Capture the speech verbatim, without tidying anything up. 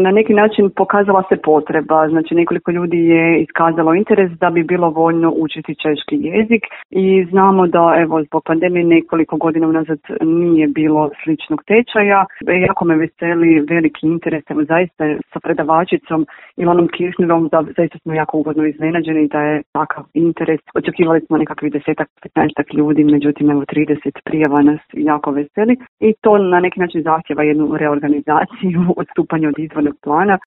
Na neki način pokazala se potreba, znači nekoliko ljudi je iskazalo interes da bi bilo voljno učiti češki jezik i znamo da evo zbog pandemije nekoliko godina unazad nije bilo sličnog tečaja. Jako me veseli veliki interes, evo zaista sa predavačicom Ilonom Kirchnerom, da zaista smo jako ugodno iznenađeni da je takav interes. Očekivali smo nekakvih desetak, petnaestak ljudi, međutim evo trideset prijava nas jako veseli i to na neki način zahtjeva jednu reorganizaciju, odstupanje od izvornog plana.